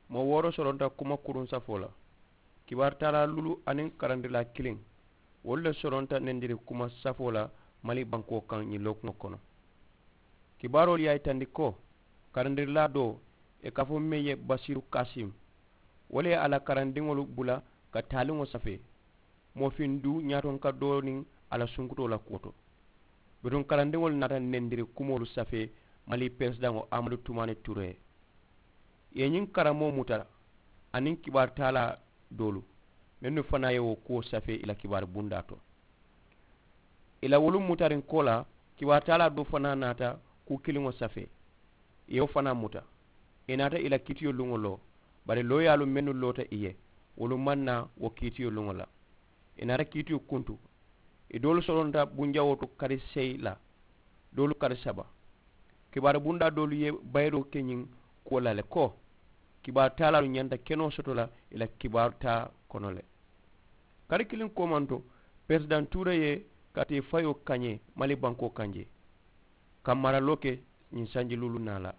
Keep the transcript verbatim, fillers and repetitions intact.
Moo wooro soronta kuma kuruŋ safoo la. Kibaaru taalaa luulu aniŋ karandilaa kiliŋ, wolu le soronta nendiri kuma safoo la mali bankoo kaŋ ñiŋ lookuŋo kono. Kibaaroolu ye a yitandi ko karandirilaa doo, ì ka a fo meŋ ye basiiru kaasim, wo le ye a la karandiŋolu bula ka taaliŋo safee. Moofiŋ duu ñaatonka doo niŋ a la sunkutoo la kuwo to. Bituŋ karandiŋolu naata nendiri kumoolu safee mali peresidaŋo amadu tumaani ture ye. Ì ye ñiŋ karamoo muta aniŋ kibaaru taalaa doolu mennu fanaa ye wo kuwo safee ì la kibaaru bundaa to. Ì la wolu mutariŋ koolaa, kibaaru taalaa doo fanaa naata kuu kiliŋo safee. Ì ye wo fanaa muta. Ì naata ì la kiitiyo luŋo loo. Bari looyaalu mennu loota ì ye, wolu maŋ naa wo kiitiyo luŋo la. Ì naata kiitiyo kuntu. Ì doolu soronta bunjawoo to kari seyi la, doolu kari saba. Kibaaru bundaa doolu ye bayiroo ke ñiŋ kuwo la le ko kibaaru taalaalu ñanta kenoo soto la ì la kibaaru taa kono le. Kari kiliŋ koomanto, peresidaŋ tuure ye katee fayoo kañee mali bankoo kaŋ jee, ka maraloo ke ñiŋ sanji luulu naa la.